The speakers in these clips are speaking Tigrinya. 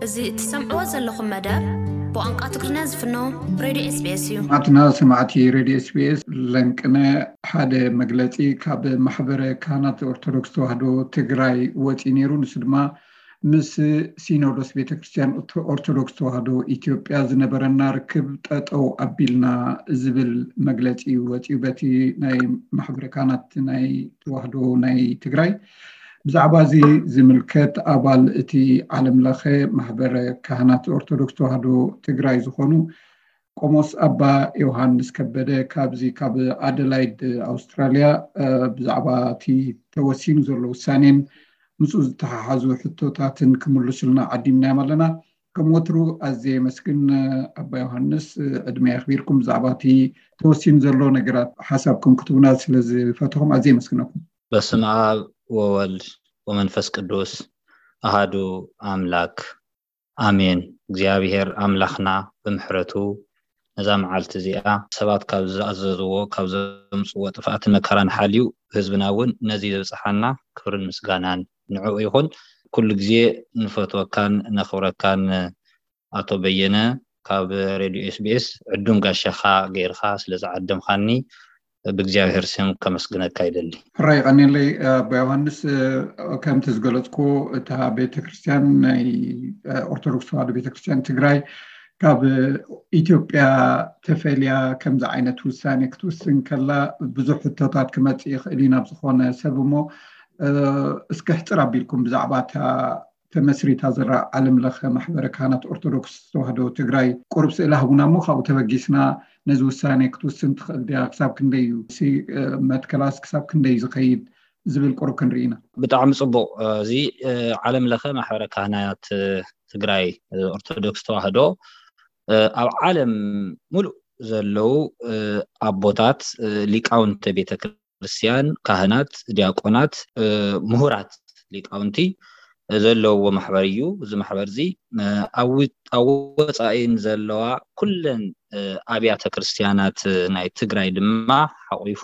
እዚ እትሰምዕዎ ዘለኹም መደብ ብቋንቋ ትግርኛ ዝፍኖ ሬድዮ ኤስቢኤስ እዩ። ኣትና ሰማዕቲ ሬድዮ ኤስቢኤስ፣ ለንቅነ ሓደ መግለጺ ካብ ማሕበረ ካህናት ኦርቶዶክስ ተዋህዶ ትግራይ ወጺኡ ነይሩ። ንሱ ድማ ምስ ሲኖዶስ ቤተክርስትያን ኦርቶዶክስ ተዋህዶ ኢትዮጵያ ዝነበረና ርክብ ጠጠው ኣቢልና ዝብል መግለጺ እዩ ወጺኡ በቲ ናይ ማሕበረ ካህናት ናይ ተዋህዶ ናይ ትግራይ። ብዛዕባ እዚ ዝምልከት ኣባል እቲ ዓለም ለኸ ማሕበረ ካህናት ኦርቶዶክስ ተዋህዶ ትግራይ ዝኾኑ ቆሞስ ኣባ ዮሃንስ ከበደ ካብዚ ካብ ኣደላይድ ኣውስትራልያ ብዛዕባ እቲ ተወሲኑ ዘሎ ውሳኔን ምስኡ ዝተሓሓዙ ሕቶታትን ክምልሱልና ዓዲምናዮም ኣለና። ከም ወትሩ ኣዝየ የመስግን ኣባ ዮሃንስ፣ ዕድመ የኽቢርኩም ብዛዕባ እቲ ተወሲኑ ዘሎ ነገራት ሓሳብኩም ክትቡና ስለ ዝፈተኹም ኣዝየ የመስግነኩም። በስመ ኣብ ወወልድ ወመንፈስ ቅዱስ ኣሃዱ ኣምላክ ኣሜን። እግዚኣብሔር ኣምላኽና ብምሕረቱ ነዛ መዓልቲ እዚኣ ሰባት ካብ ዝኣዘዝዎ ካብ ዘምፅዎ ጥፍኣትን መከራን ሓልዩ ህዝብና እውን ነዚ ዘብፅሓና ክብርን ምስጋናን ንዕኡ ይኹን። ኩሉ ግዜ ንፈትወካን ነኽብረካን ኣቶ በየነ ካብ ሬድዮ ኤስቢኤስ ዕዱም ጋሻኻ ገይርካ ስለ ዝዓደምካኒ ብእግዚኣብሔር ስም ከመስግነካ ይደሊ። ሕራይ ቀኒለይ ኣባ ዮሃንስ። ከምቲ ዝገለፅኩ እታ ቤተክርስትያን ናይ ኦርቶዶክስ ተዋህዶ ቤተክርስትያን ትግራይ ካብ ኢትዮጵያ ተፈልያ ከምዚ ዓይነት ውሳኔ ክትውስን ከላ ብዙሕ ሕቶታት ክመፅእ ይኽእል እዩ ናብ ዝኾነ ሰብ እሞ እስኪ ሕፅር ኣቢልኩም ብዛዕባ እታ ተመስሪታ ዘላ ዓለም ለኸ ማሕበረ ካህናት ኦርቶዶክስ ተዋህዶ ትግራይ ቁሩብ ስእሊ ሃቡና እሞ ካብኡ ተበጊስና ነዚ ውሳኔ ክትውስን ትኽእል ድያ? ክሳብ ክንደይ እዩ መትከላስ ክሳብ ክንደይ እዩ ዝኸይድ ዝብል ቁሩብ ክንርኢ ኢና። ብጣዕሚ ፅቡቕ። እዚ ዓለም ለኸ ማሕበረ ካህናት ትግራይ ኦርቶዶክስ ተዋህዶ ኣብ ዓለም ሙሉእ ዘለዉ ኣቦታት ሊቃውንተ ቤተ ክርስቲያን፣ ካህናት፣ ዲያቆናት፣ ምሁራት ሊቃውንቲ ዘለውዎ ማሕበር እዩ። እዚ ማሕበር እዚ ኣብ ወፃኢን ዘለዋ ኩለን ኣብያተ ክርስቲያናት ናይ ትግራይ ድማ ሓቂፉ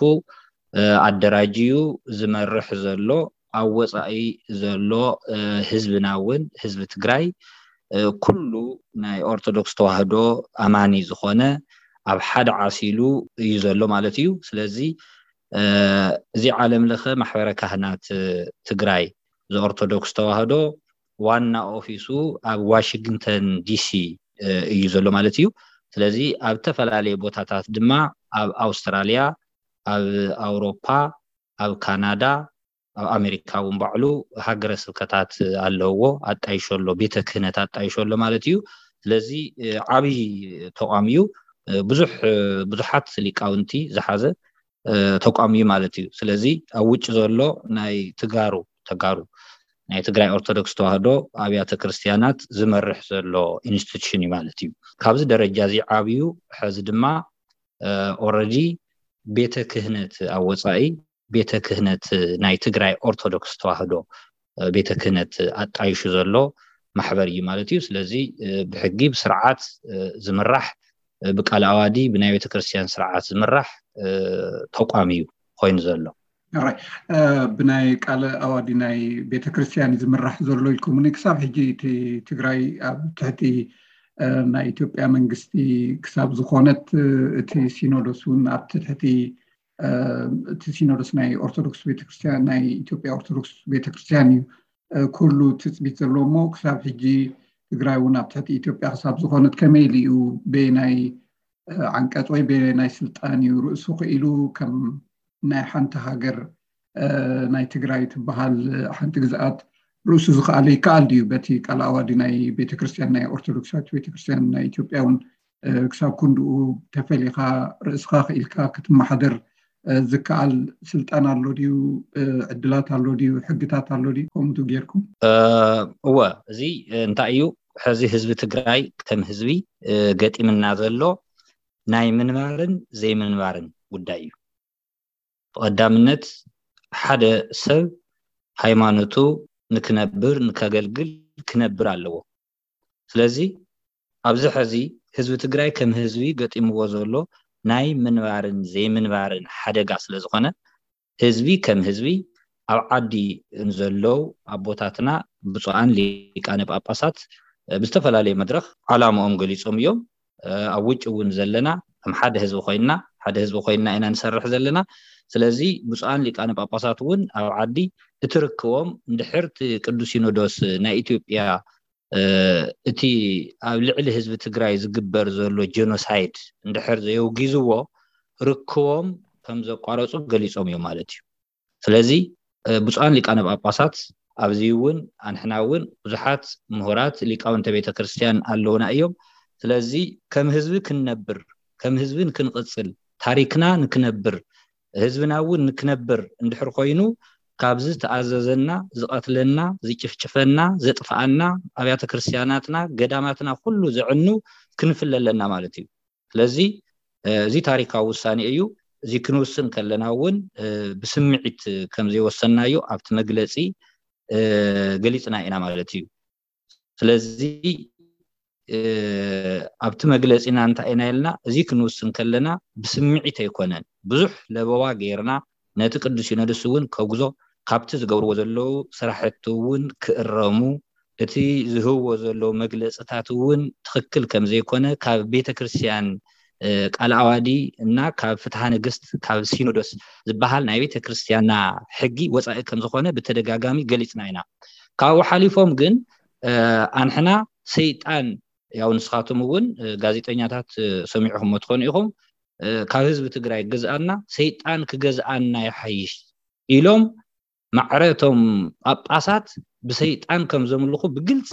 ኣደራጅዩ ዝመርሕ ዘሎ፣ ኣብ ወፃኢ ዘሎ ህዝብና እውን ህዝቢ ትግራይ ኩሉ ናይ ኦርቶዶክስ ተዋህዶ ኣማኒ ዝኾነ ኣብ ሓደ ዓሲሉ እዩ ዘሎ ማለት እዩ። ስለዚ እዚ ዓለም ለኸ ማሕበረ ካህናት ትግራይ ዘኦርቶዶክስ ተዋህዶ ዋና ኦፊሱ ኣብ ዋሽንግተን ዲሲ እዩ ዘሎ ማለት እዩ። ስለዚ ኣብ ዝተፈላለየ ቦታታት ድማ ኣብ ኣውስትራልያ፣ ኣብ ኣውሮፓ፣ ኣብ ካናዳ፣ ኣብ ኣሜሪካ እውን ባዕሉ ሃገረ ስብከታት ኣለውዎ፣ ኣጣይሾ ኣሎ፣ ቤተ ክህነት ኣጣይሾ ኣሎ ማለት እዩ። ስለዚ ዓብዪ ተቋም እዩ። ብዙሕ ብዙሓት ሊቃውንቲ ዝሓዘ ተቋም እዩ ማለት እዩ። ስለዚ ኣብ ውጭ ዘሎ ናይ ትጋሩ ተጋሩ ናይ ትግራይ ኦርቶዶክስ ተዋህዶ ኣብያተ ክርስቲያናት ዝመርሕ ዘሎ ኢንስቲቱሽን እዩ ማለት እዩ። ካብዚ ደረጃ እዚ ዓብዩ ሕዚ ድማ ኦረዲ ቤተ ክህነት ኣብ ወፃኢ ቤተ ክህነት ናይ ትግራይ ኦርቶዶክስ ተዋህዶ ቤተ ክህነት ኣጣይሹ ዘሎ ማሕበር እዩ ማለት እዩ። ስለዚ ብሕጊ ብስርዓት ዝምራሕ ብቃል ኣዋዲ ብናይ ቤተክርስትያን ስርዓት ዝምራሕ ተቋም እዩ ኮይኑ ዘሎ። ብናይ ቃለ ኣዋዲ ናይ ቤተክርስትያን ዝምራሕ ዘሎ ኢልኩምኒ። ክሳብ ሕጂ እቲ ትግራይ ኣብ ትሕቲ ናይ ኢትዮጵያ መንግስቲ ክሳብ ዝኾነት እቲ ሲኖዶስ እውን ኣብ ትሕቲ እቲ ሲኖዶስ ናይ ኦርቶዶክስ ቤተክርስትያን ናይ ኢትዮጵያ ኦርቶዶክስ ቤተክርስትያን እዩ ኩሉ ትፅቢት ዘለዎ እሞ ክሳብ ሕጂ ትግራይ እውን ኣብ ትሕቲ ኢትዮጵያ ክሳብ ዝኾነት ከመይ ኢሉ እዩ በየናይ ዓንቀፅ ወይ በየናይ ስልጣን እዩ ርእሱ ክኢሉ ከም ናይ ሓንቲ ሃገር ናይ ትግራይ ትበሃል ሓንቲ ግዝኣት ርእሱ ዝኸኣለ ይከኣል ድዩ? በቲ ቃል ኣዋዲ ናይ ቤተክርስትያን ናይ ኦርቶዶክሳዊት ቤተክርስትያን ናይ ኢትዮጵያ እውን ክሳብ ክንድኡ ተፈሊኻ ርእስኻ ክኢልካ ክትመሓደር ዝከኣል ስልጣን ኣሎ ድዩ? ዕድላት ኣሎ ድዩ? ሕግታት ኣሎ ድዩ? ከምኡ ጌርኩም? እወ፣ እዚ እንታይ እዩ? ሕዚ ህዝቢ ትግራይ ከም ህዝቢ ገጢምና ዘሎ ናይ ምንባርን ዘይምንባርን ጉዳይ እዩ። ብቐዳምነት ሓደ ሰብ ሃይማኖቱ ንክነብር ንከገልግል ክነብር ኣለዎ። ስለዚ ኣብዚ ሕዚ ህዝቢ ትግራይ ከም ህዝቢ ገጢምዎ ዘሎ ናይ ምንባርን ዘይምንባርን ሓደጋ ስለ ዝኾነ ህዝቢ ከም ህዝቢ ኣብ ዓዲ ንዘለው ኣቦታትና ብፁዓን ሊቃነ ጳጳሳት ብዝተፈላለየ መድረኽ ዓላምኦም ገሊጾም እዮም። ኣብ ውጭ እውን ዘለና ከም ሓደ ህዝቢ ኮይና ሓደ ህዝቢ ኮይና ኢና ንሰርሕ ዘለና። ስለዚ ብፁዓን ሊቃነ ጳጳሳት እውን ኣብ ዓዲ እቲ ርክቦም እንድሕር እቲ ቅዱስ ሲኖዶስ ናይ ኢትዮጵያ እቲ ኣብ ልዕሊ ህዝቢ ትግራይ ዝግበር ዘሎ ጀኖሳይድ እንድሕር ዘየውጊዝዎ ርክቦም ከም ዘቋረፁ ገሊፆም እዮም ማለት እዩ። ስለዚ ብፁዓን ሊቃነ ጳጳሳት ኣብዚ እውን ኣንሕና እውን ብዙሓት ምሁራት ሊቃውንተ ቤተ ክርስቲያን ኣለውና እዮም። ስለዚ ከም ህዝቢ ክንነብር ከም ህዝቢ ንክንቕፅል ታሪክና ንክነብር ህዝብና እውን ንክነብር እንድሕር ኮይኑ ካብዚ ዝተኣዘዘና ዝቐትለና ዝጭፍጭፈና ዘጥፍኣና ኣብያተ ክርስቲያናትና ገዳማትና ኩሉ ዘዕኑ ክንፍለ ኣለና ማለት እዩ። ስለዚ እዚ ታሪካዊ ውሳኔ እዩ። እዚ ክንውስን ከለና እውን ብስምዒት ከም ዘይወሰናዮ ኣብቲ መግለፂ ገሊፅና ኢና ማለት እዩ። ስለዚ ኣብቲ መግለፂና እንታይ ኢና ኢልና እዚ ክንውስን ከለና ብስምዒት ኣይኮነን። ብዙሕ ለበዋ ገይርና ነቲ ቅዱስ ሲኖዶስ እውን ከጉዞ ካብቲ ዝገብርዎ ዘለዉ ስራሕቲ እውን ክእረሙ እቲ ዝህብዎ ዘለዉ መግለፅታት እውን ትኽክል ከም ዘይኮነ ካብ ቤተ ክርስቲያን ቃል ኣዋዲ እና ካብ ፍትሐ ነገስት ካብ ሲኖዶስ ዝበሃል ናይ ቤተ ክርስቲያንና ሕጊ ወፃኢ ከም ዝኾነ ብተደጋጋሚ ገሊፅና ኢና። ካብኡ ሓሊፎም ግን ኣንሕና ሰይጣን ያው ንስኻትም እውን ጋዜጠኛታት ሰሚዕኹም ትኾኑ ኢኹም ካብ ህዝቢ ትግራይ ገዝኣና ሰይጣን ክገዝኣና ይሓይሽ ኢሎም ማዕረቶም ጳጳሳት ብሰይጣን ከም ዘምልኹ ብግልፂ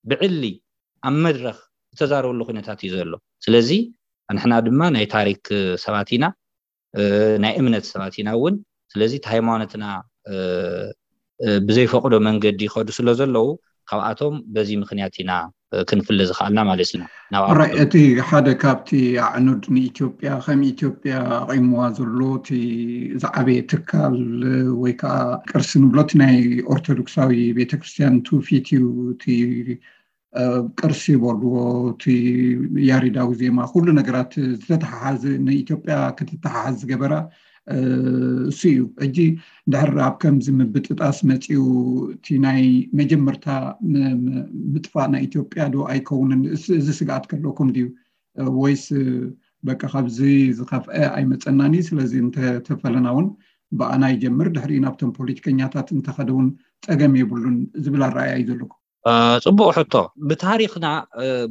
ብዕሊ ኣብ መድረኽ ዝተዛረበሉ ኩነታት እዩ ዘሎ። ስለዚ ኣንሕና ድማ ናይ ታሪክ ሰባት ኢና ናይ እምነት ሰባት ኢና እውን። ስለዚ እቲ ሃይማኖትና ብዘይፈቅዶ መንገዲ ይኸዱ ስለ ዘለዉ ካብኣቶም በዚ ምክንያት ኢና ክንፍለ ዝኽኣልና ማለት ኢና። እቲ ሓደ ካብቲ ኣዕኑድ ንኢትዮጵያ ከም ኢትዮጵያ ኣቂምዋ ዘሎ እቲ ዝዓበየ ትካል ወይ ከዓ ቅርሲ ንብሎ እቲ ናይ ኦርቶዶክሳዊ ቤተክርስትያን ትውፊት እዩ። እቲ ቅርሲ ይበልዎ እቲ ያሬዳዊ ዜማ ኩሉ ነገራት ዝተተሓሓዝ ንኢትዮጵያ ክትተሓሓዝ ዝገበራ እሱ እዩ። ሕጂ ድሕር ኣብ ከምዚ ምብጥጣስ መፂኡ እቲ ናይ መጀመርታ ምጥፋእ ናይ ኢትዮጵያ ዶ ኣይከውንን? እዚ ስግኣት ከለኩም ድዩ ወይስ በቃ ካብዚ ዝኸፍአ ኣይመፀናን እዩ? ስለዚ እንተተፈለና እውን ብኣና ይጀምር ድሕሪኡ ናብቶም ፖለቲከኛታት እንተኸደ እውን ፀገም የብሉን ዝብል ኣረኣያ እዩ ዘለኩም? ፅቡቅ ሕቶ። ብታሪክና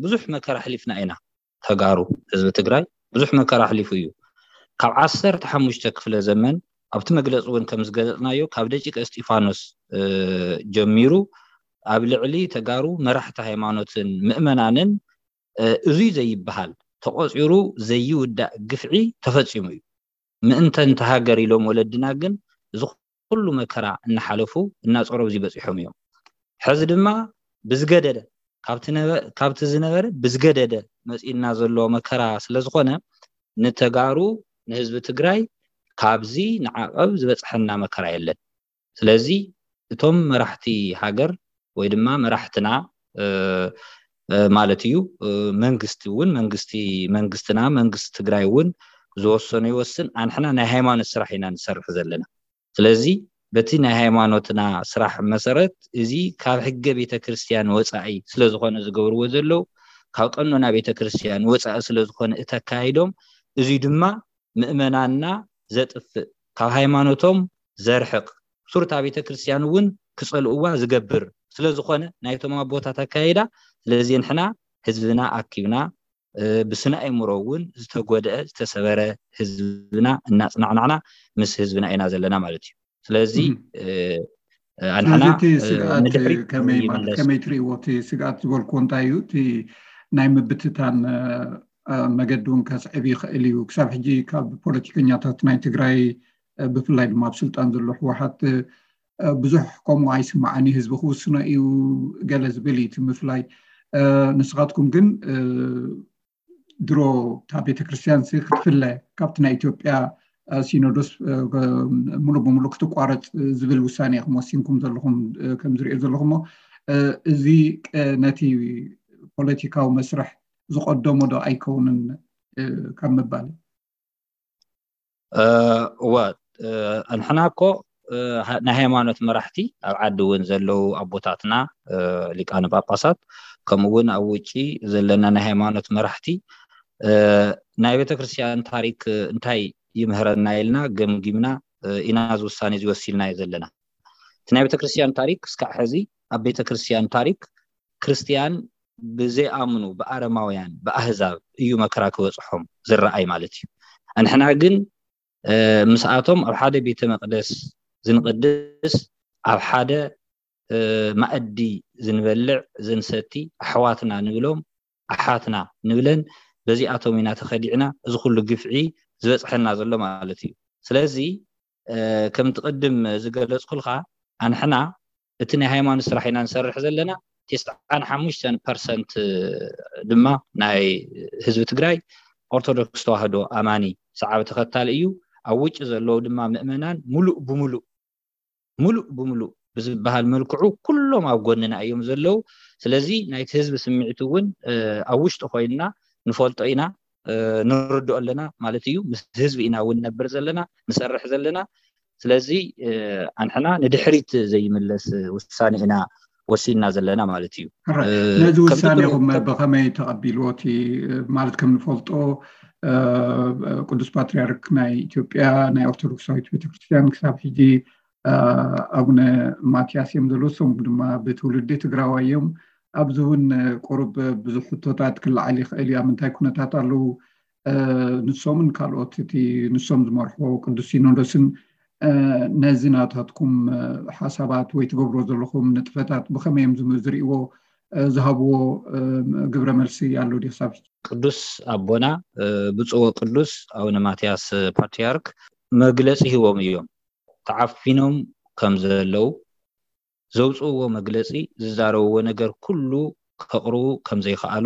ብዙሕ መከራ ኣሕሊፍና ኢና። ተጋሩ ህዝቢ ትግራይ ብዙሕ መከራ ኣሕሊፉ እዩ። ካብ ዓሰርተ ሓሙሽተ ክፍለ ዘመን ኣብቲ መግለፂ እውን ከም ዝገለፅናዮ ካብ ደቂቀ እስጢፋኖስ ጀሚሩ ኣብ ልዕሊ ተጋሩ መራሕቲ ሃይማኖትን ምእመናንን እዙይ ዘይበሃል ተቆፂሩ ዘይውዳእ ግፍዒ ተፈፂሙ እዩ። ምእንተ እንተ ሃገር ኢሎም ወለድና ግን እዚ ኩሉ መከራ እናሓለፉ እናፀረቡ እዚ በፂሖም እዮም። ሕዚ ድማ ብዝገደደ ካብቲ ዝነበረ ብዝገደደ መፂእና ዘሎ መከራ ስለዝኾነ ንተጋሩ ንህዝቢ ትግራይ ካብዚ ንዓቐብ ዝበፅሐና መከራ የለን። ስለዚ እቶም መራሕቲ ሃገር ወይ ድማ መራሕትና ማለት እዩ መንግስቲ እውን መንግስቲ መንግስትና መንግስቲ ትግራይ እውን ዝወሰኑ ይወስን። ኣንሕና ናይ ሃይማኖት ስራሕ ኢና ንሰርሕ ዘለና። ስለዚ በቲ ናይ ሃይማኖትና ስራሕ መሰረት እዚ ካብ ሕገ ቤተክርስትያን ወፃኢ ስለዝኾነ ዝገብርዎ ዘለዉ ካብ ቀኖና ቤተክርስትያን ወፃኢ ስለዝኾነ እተካይዶም እዚ ድማ ምእመናንና ዘጥፍእ ካብ ሃይማኖቶም ዘርሕቕ ሱርታ ቤተክርስትያን እውን ክፀልእዋ ዝገብር ስለዝኾነ ናይቶም ኣቦታት ኣካይዳ። ስለዚ ንሕና ህዝብና ኣኪብና ብስነ ኣእምሮ እውን ዝተጎድአ ዝተሰበረ ህዝብና እናፅናዕናዕና ምስ ህዝብና ኢና ዘለና ማለት እዩ። ስለዚ ኣንሕና ከመይ ትርእይዎ? እቲ ስግኣት ዝበልክዎ እንታይ እዩ? እቲ ናይ ምብትታን መገዲ እውን ከስዕብ ይኽእል እዩ። ክሳብ ሕጂ ካብ ፖለቲከኛታት ናይ ትግራይ ብፍላይ ድማ ኣብ ስልጣን ዘሎ ህወሓት ብዙሕ ከምኡ ኣይስማዓን እዩ። ህዝቢ ክውስኖ እዩ ገለ ዝብል እዩ እቲ ምፍላይ። ንስኻትኩም ግን ድሮ እታ ቤተክርስትያን ክትፍለ ካብቲ ናይ ኢትዮጵያ ሲኖዶስ ሙሉእ ብሙሉእ ክትቋረፅ ዝብል ውሳኔ ኢኹም ወሲንኩም ዘለኹም ከም ዝሪኦ ዘለኹሞ እዚ ነቲ ፖለቲካዊ መስርሕ ዝቀደሞ ዶ ኣይከውንን ካብ ምባል? እወ ኣንሕና እኮ ናይ ሃይማኖት መራሕቲ ኣብ ዓዲ እውን ዘለዉ ኣቦታትና ሊቃነ ጳጳሳት ከምኡ እውን ኣብ ውጪ ዘለና ናይ ሃይማኖት መራሕቲ ናይ ቤተክርስትያን ታሪክ እንታይ ይምህረና ኢልና ገምጊምና ኢና እዚ ውሳኔ እዚ ወሲድናዮ ዘለና። እቲ ናይ ቤተክርስትያን ታሪክ እስካዕ ሕዚ ኣብ ቤተክርስትያን ታሪክ ክርስትያን ብዘይኣምኑ ብኣረማውያን ብኣህዛብ እዩ መከራ ክበፅሖም ዝረኣይ ማለት እዩ። ኣንሕና ግን ምስኣቶም ኣብ ሓደ ቤተ መቅደስ ዝንቅድስ ኣብ ሓደ መኣዲ ዝንበልዕ ዝንሰቲ ኣሕዋትና ንብሎም ኣሓትና ንብለን በዚኣቶም ኢና ተኸዲዕና እዚ ኩሉ ግፍዒ ዝበፅሐና ዘሎ ማለት እዩ። ስለዚ ከምቲ ቅድም ዝገለፅኩልካ ኣንሕና እቲ ናይ ሃይማኖት ስራሕ ኢና ንሰርሕ ዘለና። ተስዓን ሓሙሽተን ፐርሰንት ድማ ናይ ህዝቢ ትግራይ ኦርቶዶክስ ተዋህዶ ኣማኒ ሰዓቢ ተኸታሊ እዩ። ኣብ ውጭ ዘለዉ ድማ ምእመናን ሙሉእ ብሙሉእ ሙሉእ ብሙሉእ ብዝበሃል መልክዑ ኩሎም ኣብ ጎንና እዮም ዘለዉ። ስለዚ ናይቲ ህዝቢ ስምዒት እውን ኣብ ውሽጢ ኮይንና ንፈልጦ ኢና፣ ንርድኦ ኣለና ማለት እዩ። ምስ ህዝቢ ኢና እውን ነብር ዘለና ንሰርሕ ዘለና። ስለዚ ኣንሕና ንድሕሪት ዘይምለስ ውሳኔ ኢና ወሲንና ዘለና ማለት እዩ። ነዚ ውሳኔኹም ብኸመይ ተቐቢልዎ? እቲ ማለት ከም ንፈልጦ ቅዱስ ፓትሪያርክ ናይ ኢትዮጵያ ናይ ኦርቶዶክሳዊት ቤተክርስትያን ክሳብ ሕጂ ኣቡነ ማትያስ እዮም ዘለዉ። እሶም ድማ ብትውልዲ ትግራዋይ እዮም። ኣብዚ እውን ቁሩብ ብዙሕ ሕቶታት ክለዓል ይኽእል እዩ። ኣብ ምንታይ ኩነታት ኣለዉ ንሶምን ካልኦት እቲ ንሶም ዝመርሕዎ ቅዱስ ሲኖዶስን ነዚ ናታትኩም ሓሳባት ወይ ትገብሮ ዘለኹም ንጥፈታት ብኸመይ እዮም ዝም- ዝርእይዎ? ዝሃብዎ ግብረ መልሲ ኣሎ ድዩ ክሳብ ሕጂ? ቅዱስ ኣቦና ብፁዕ ወቅዱስ ኣቡነ ማትያስ ፓትሪያርክ መግለፂ ሂቦም እዮም። ተዓፊኖም ከም ዘለዉ ዘውፅእዎ መግለፂ ዝዛረብዎ ነገር ኩሉ ከቕርቡ ከም ዘይከኣሉ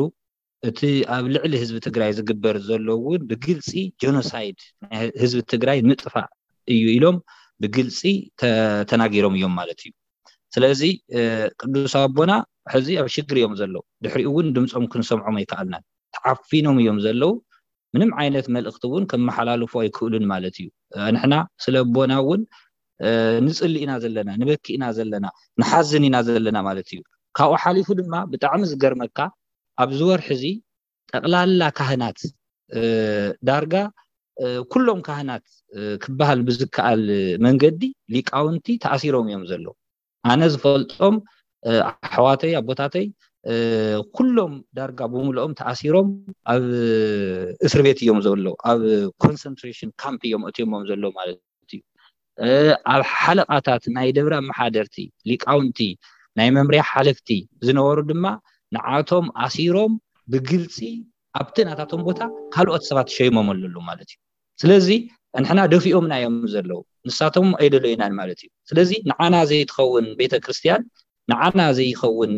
እቲ ኣብ ልዕሊ ህዝቢ ትግራይ ዝግበር ዘሎ እውን ብግልፂ ጀኖሳይድ ናይ ህዝቢ ትግራይ ምጥፋእ እዩ ኢሎም ብግልፂ ተናጊሮም እዮም ማለት እዩ። ስለዚ ቅዱስ ኣቦና ሕዚ ኣብ ሽግር እዮም ዘለዉ። ድሕሪኡ እውን ድምፆም ክንሰምዖም ኣይከኣልናን። ተዓፊኖም እዮም ዘለዉ። ምንም ዓይነት መልእኽቲ እውን ከመሓላልፉ ኣይክእሉን ማለት እዩ። ንሕና ስለ ኣቦና እውን ንፅሊ ኢና ዘለና፣ ንበኪ ኢና ዘለና፣ ንሓዝን ኢና ዘለና ማለት እዩ። ካብኡ ሓሊፉ ድማ ብጣዕሚ ዝገርመካ ኣብዚ ወርሒ እዚ ጠቕላላ ካህናት ዳርጋ ኩሎም ካህናት ክበሃል ብዝከኣል መንገዲ ሊቃውንቲ ተኣሲሮም እዮም ዘለዉ። ኣነ ዝፈልጦም ኣሕዋተይ ኣቦታተይ ኩሎም ዳርጋ ብምልኦም ተኣሲሮም ኣብ እስር ቤት እዮም ዘለዉ። ኣብ ኮንሰንትሬሽን ካምፕ እዮም ኣትዮሞም ዘለዉ ማለት እዩ። ኣብ ሓለቓታት ናይ ደብረ ኣመሓደርቲ ሊቃውንቲ ናይ መምርያ ሓለፍቲ ዝነበሩ ድማ ንዓቶም ኣሲሮም ብግልፂ ኣብቲ ናታቶም ቦታ ካልኦት ሰባት ሸይሞም ኣለዉ ማለት እዩ። ስለዚ ንሕና ደፊኦምና እዮም ዘለዉ። ንሳቶም ኣይደለዩናን ማለት እዩ። ስለዚ ንዓና ዘይትኸውን ቤተክርስትያን ንዓና ዘይኸውን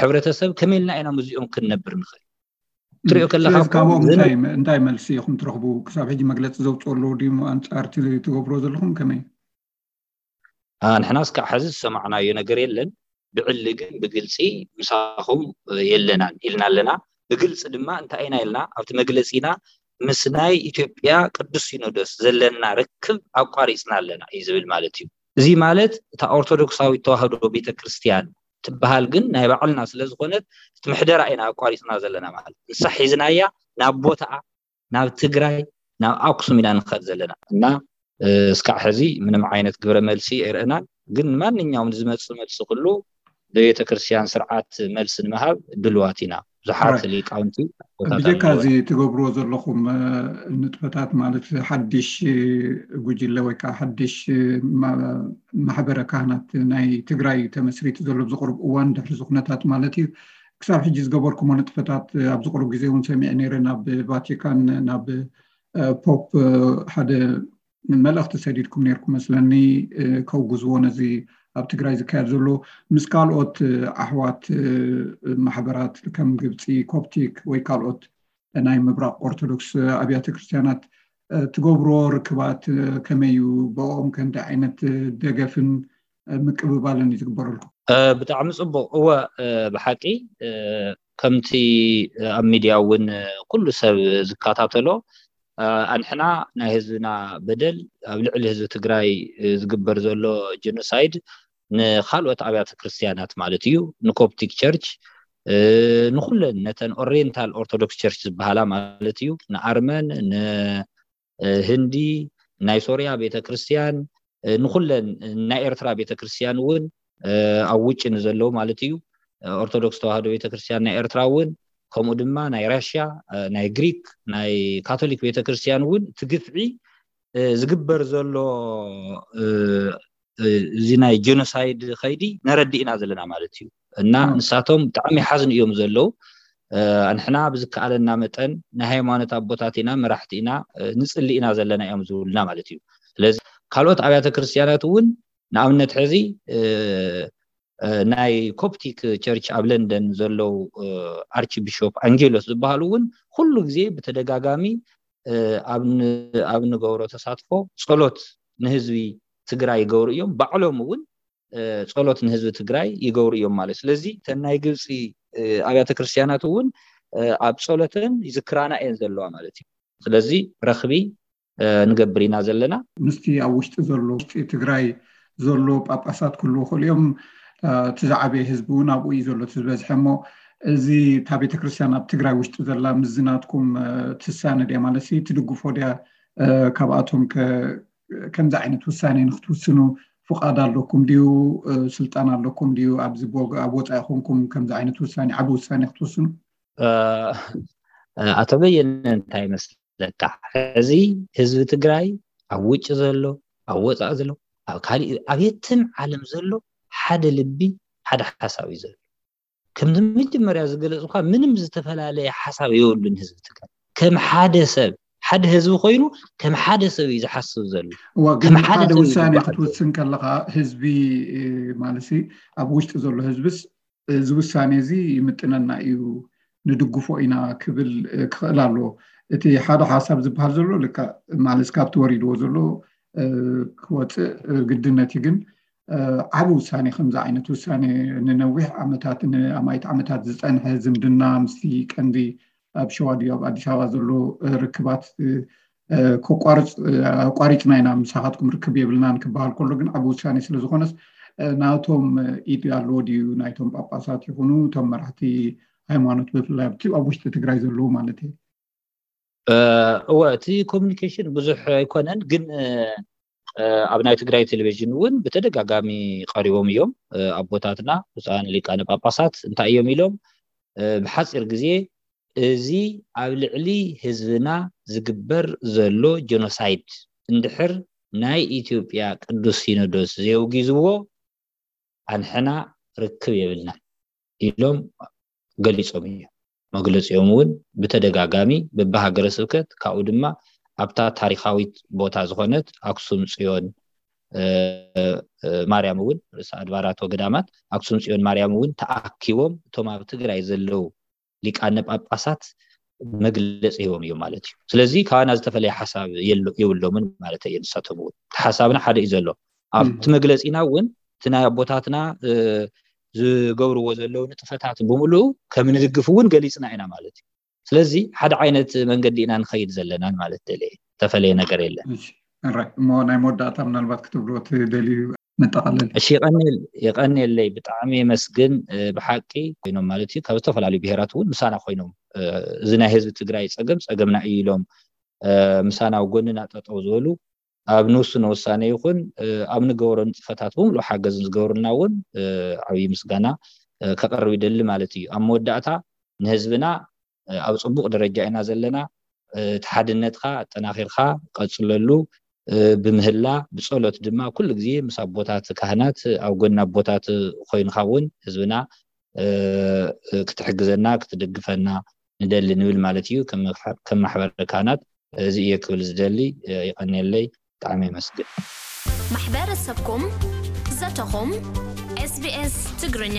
ሕብረተሰብ ከመይ ኢልና ኢና ምስዚኦም ክንነብር ንኽእል? ትሪኦ ከለካ ስለዚ እኮ ካብኦም ግን እንታይ እንታይ መልሲ ኢኹም ትረኽቡ? ክሳብ ሕጂ መግለፂ ዘውፅኡ ኣለዉ ድዩ ኣንፃር እቲ ትገብሮ ዘለኹም ከመይ? ንሕና እስካዕ ሕዚ ዝሰማዕናዮ ነገር የለን። ብዕሊ ግን ብግልፂ ምሳኹም የለናን ኢልና ኣለና። ብግልፂ ድማ እንታይ ኢና ኢልና ኣብቲ መግለፂና ምስ ናይ ኢትዮጵያ ቅዱስ ሲኖዶስ ዘለና ርክብ ኣቋሪፅና ኣለና እዩ ዝብል ማለት እዩ። እዚ ማለት እታ ኦርቶዶክሳዊት ተዋህዶ ቤተክርስትያን ትበሃል ግን ናይ ባዕልና ስለዝኾነት እቲ ምሕደራ ኢና ኣቋሪፅና ዘለና ማለት ንሳ ሒዝናያ ናብ ቦታኣ ናብ ትግራይ ናብ ኣክሱም ኢና ንኸድ ዘለና እና እስካዕ ሕዚ ምንም ዓይነት ግብረ መልሲ ኣይረእናን። ግን ማንኛውም ዝመፅእ መልሲ ኩሉ ብቤተክርስትያን ስርዓት መልሲ ንምሃብ ድልዋት ኢና። ብዙሓት ሊቃውንቲ ብጀካ እዚ ትገብርዎ ዘለኹም ንጥፈታት ማለት ሓድሽ ጉጅለ ወይ ከዓ ሓድሽ ማሕበረ ካህናት ናይ ትግራይ ተመስሪቱ ዘሎ ብዝቕርብ እዋን ድሕሪ ዝኩነታት ማለት እዩ ክሳብ ሕጂ ዝገበርኩሞ ንጥፈታት ኣብዚ ቅሩብ ግዜ እውን ሰሚዐ ነይረ ናብ ቫቲካን ናብ ፖፕ ሓደ መልእኽቲ ሰዲድኩም ነርኩም መስለኒ ከውግዝዎ ነዚ ኣብ ትግራይ ዝካየድ ዘሎ ምስ ካልኦት ኣሕዋት ማሕበራት ከም ግብፂ ኮፕቲክ ወይ ካልኦት ናይ ምብራቅ ኦርቶዶክስ ኣብያተ ክርስትያናት ትገብሮ ርክባት ከመይ እዩ ብኦም ከንዲ ዓይነት ደገፍን ምቅብባልን እዩ ዝግበረልኩም? ብጣዕሚ ፅቡቅ እወ ብሓቂ ከምቲ ኣብ ሚድያ እውን ኩሉ ሰብ ዝከታተሎ ኣንሕና ናይ ህዝብና በደል ኣብ ልዕሊ ህዝቢ ትግራይ ዝግበር ዘሎ ጀኖሳይድ ንካልኦት ኣብያተ ክርስትያናት ማለት እዩ ንኮፕቲክ ቸርች ንኩለን ነተን ኦሪየንታል ኦርቶዶክስ ቸርች ዝበሃላ ማለት እዩ፣ ንኣርመን፣ ንህንዲ፣ ናይ ሶርያ ቤተክርስትያን፣ ንኩለን፣ ናይ ኤርትራ ቤተክርስትያን እውን ኣብ ውጭ ንዘለዉ ማለት እዩ፣ ኦርቶዶክስ ተዋህዶ ቤተክርስትያን ናይ ኤርትራ እውን፣ ከምኡ ድማ ናይ ራሽያ፣ ናይ ግሪክ፣ ናይ ካቶሊክ ቤተክርስትያን እውን እቲ ግፍዒ ዝግበር ዘሎ እዚ ናይ ጀኖሳይድ ከይዲ ነረድእ ኢና ዘለና ማለት እዩ። እና ንሳቶም ብጣዕሚ ይሓዝኑ እዮም ዘለዉ። ኣንሕና ብዝከኣለና መጠን ናይ ሃይማኖት ኣቦታት ኢና፣ መራሕቲ ኢና፣ ንፅሊ ኢና ዘለና እዮም ዝብሉና ማለት እዩ። ስለዚ ካልኦት ኣብያተ ክርስትያናት እውን፣ ንኣብነት ሕዚ ናይ ኮፕቲክ ቸርች ኣብ ለንደን ዘለዉ ኣርች ቢሾፕ ኣንጌሎስ ዝበሃሉ እውን ኩሉ ግዜ ብተደጋጋሚ ኣብ እንገብሮ ተሳትፎ ጸሎት ንህዝቢ ትግራይ ይገብሩ እዮም። ባዕሎም እውን ጸሎት ንህዝቢ ትግራይ ይገብሩ እዮም ማለት። ስለዚ እተን ናይ ግብፂ ኣብያተ ክርስትያናት እውን ኣብ ጸሎተን ይዝክራና እየን ዘለዋ ማለት እዩ። ስለዚ ረኽቢ ንገብር ኢና ዘለና። ምስቲ ኣብ ውሽጢ ዘሎ፣ ውሽጢ ትግራይ ዘሎ ጳጳሳት ክህልዉ ይኽእሉ እዮም። እቲ ዝዓበየ ህዝቢ እውን ኣብኡ እዩ ዘሎ፣ እቲ ዝበዝሐ። እሞ እዚ እታ ቤተክርስትያን ኣብ ትግራይ ውሽጢ ዘላ ምስዚ ናትኩም ትሳነ ድያ ማለት ትድግፎ ድያ? ካብኣቶም ከምዚ ዓይነት ውሳኔ ንክትውስኑ ፍቓድ ኣለኩም ድዩ? ስልጣን ኣለኩም ድዩ? ኣብዚ ኣብ ወፃኢ ኮንኩም ከምዚ ዓይነት ውሳኔ፣ ዓቢ ውሳኔ ክትውስኑ? ኣቶ በየነ፣ እንታይ መስለካ፣ ሕዚ ህዝቢ ትግራይ ኣብ ውጭ ዘሎ፣ ኣብ ወፃኢ ዘሎ፣ ኣብ ካሊእ፣ ኣብ የትም ዓለም ዘሎ ሓደ ልቢ፣ ሓደ ሓሳብ እዩ ዘሎ። ከምዚ መጀመርያ ዝገለፅኳ፣ ምንም ዝተፈላለየ ሓሳብ የብሉን ህዝቢ ትግራይ። ከም ሓደ ሰብ፣ ሓደ ህዝቢ ኮይኑ ከም ሓደ ሰብ እዩ ዝሓስብ ዘሎ። እዋ፣ ግን ከም ሓደ ሓደ ሰብ እዩ ውሳኔ ዝጓዓዝ ዘሎ። ክትውስን ከለኻ ህዝቢ፣ ማለት ኣብ ውሽጢ ዘሎ ህዝብስ እዚ ውሳኔ እዚ ይምጥነና እዩ፣ ንድግፎ ኢና ክብል ክኽእል ኣለዎ። እቲ ሓደ ሓሳብ ዝበሃል ዘሎ ልክዕ ማለት ካብቲ ወሪድዎ ዘሎ ክወፅእ ግድነት እዩ። ግን ዓቢ ውሳኔ፣ ከምዚ ዓይነት ውሳኔ ንነዊሕ ዓመታት፣ ንኣማኢት ዓመታት ዝጸንሐ ዝምድና ምስቲ ቀንዲ ኣብ ሸዋ ድዩ ኣብ ኣዲስ ኣበባ ዘሎ ርክባት ከቋርጽ፣ ኣቋሪጽና ኢና፣ ምሳኻትኩም ርክብ የብልናን ክበሃል ከሎ ግን ዓቢ ውሳኔ ስለ ዝኾነስ ናቶም ኢድ ኣለዎ ድዩ? ናይቶም ጳጳሳት ይኹኑ እቶም መራሕቲ ሃይማኖት፣ ብፍላይ ኣብቲ ኣብ ውሽጢ ትግራይ ዘለዉ ማለት እየ። እወ፣ እቲ ኮሚኒኬሽን ብዙሕ ኣይኮነን፣ ግን ኣብ ናይ ትግራይ ቴሌቪዥን እውን ብተደጋጋሚ ቀሪቦም እዮም። ኣቦታትና ብፁዓን ሊቃነ ጳጳሳት እንታይ እዮም ኢሎም? ብሓፂር ግዜ እዚ ኣብ ልዕሊ ህዝብና ዝግበር ዘሎ ጀኖሳይድ እንድሕር ናይ ኢትዮጵያ ቅዱስ ሲኖዶስ ዘየውጊዝዎ ኣንሕና ርክብ የብልናን ኢሎም ገሊጾም እዮም። መግለጺኦም እውን ብተደጋጋሚ በብሃገረ ስብከት፣ ካብኡ ድማ ኣብታ ታሪኻዊት ቦታ ዝኾነት ኣክሱም ጽዮን፣ ማርያም እውን፣ ርእሰ ኣድባራት ወገዳማት ኣክሱም ጽዮን ማርያም እውን ተኣኪቦም እቶም ኣብ ትግራይ ዘለዉ ሊቃነ ጳጳሳት መግለጺ ሂቦም እዮም ማለት እዩ። ስለዚ ካባና ዝተፈለየ ሓሳብ የብሎምን ማለት እየ። ንሳቶም እውን ሓሳብና ሓደ እዩ ዘሎ። ኣብቲ መግለጺና እውን እቲ ናይ ኣቦታትና ዝገብርዎ ዘለዉ ንጥፈታት ብምሉኡ ከም ንድግፍ እውን ገሊጽና ኢና ማለት እዩ። ስለዚ ሓደ ዓይነት መንገዲ ኢና ንኸይድ ዘለናን ማለት ደልየ፣ ዝተፈለየ ነገር የለን። እሞ ናይ መወዳእታ ምናልባት ክትብልዎ ትደልዩ መጠቓለሊ? እሺ፣ የቐንየለይ፣ ብጣዕሚ የመስግን። ብሓቂ ኮይኖም ማለት እዩ ካብ ዝተፈላለዩ ብሄራት እውን ምሳና ኮይኖም፣ እዚ ናይ ህዝቢ ትግራይ ፀገም ፀገምና እዩ ኢሎም ምሳና ኣብ ጎንና ጠጠው ዝበሉ፣ ኣብ ንውስኖ ውሳኔ ይኹን ኣብ ንገብሮ ንጥፈታት ብምሉእ ሓገዝን ዝገብሩልና እውን ዓብዪ ምስጋና ከቐርብ ይደሊ ማለት እዩ። ኣብ መወዳእታ ንህዝብና ኣብ ፅቡቕ ደረጃ ኢና ዘለና። እቲ ሓድነትካ ኣጠናኺርካ ቀፅለሉ። ብምህላ ብፀሎት ድማ ኩሉ ግዜ ምስ ኣቦታት ካህናት ኣብ ጎኒ ኣቦታት ኮይንካ እውን ህዝብና ክትሕግዘና ክትድግፈና ንደሊ ንብል ማለት እዩ። ከም ማሕበረ ካህናት እዚ እየ ክብል ዝደሊ። ይቐንየለይ። ብጣዕሚ የመስግን። ማሕበረሰብኩም ዘተኹም ኤስቢኤስ ትግርኛ።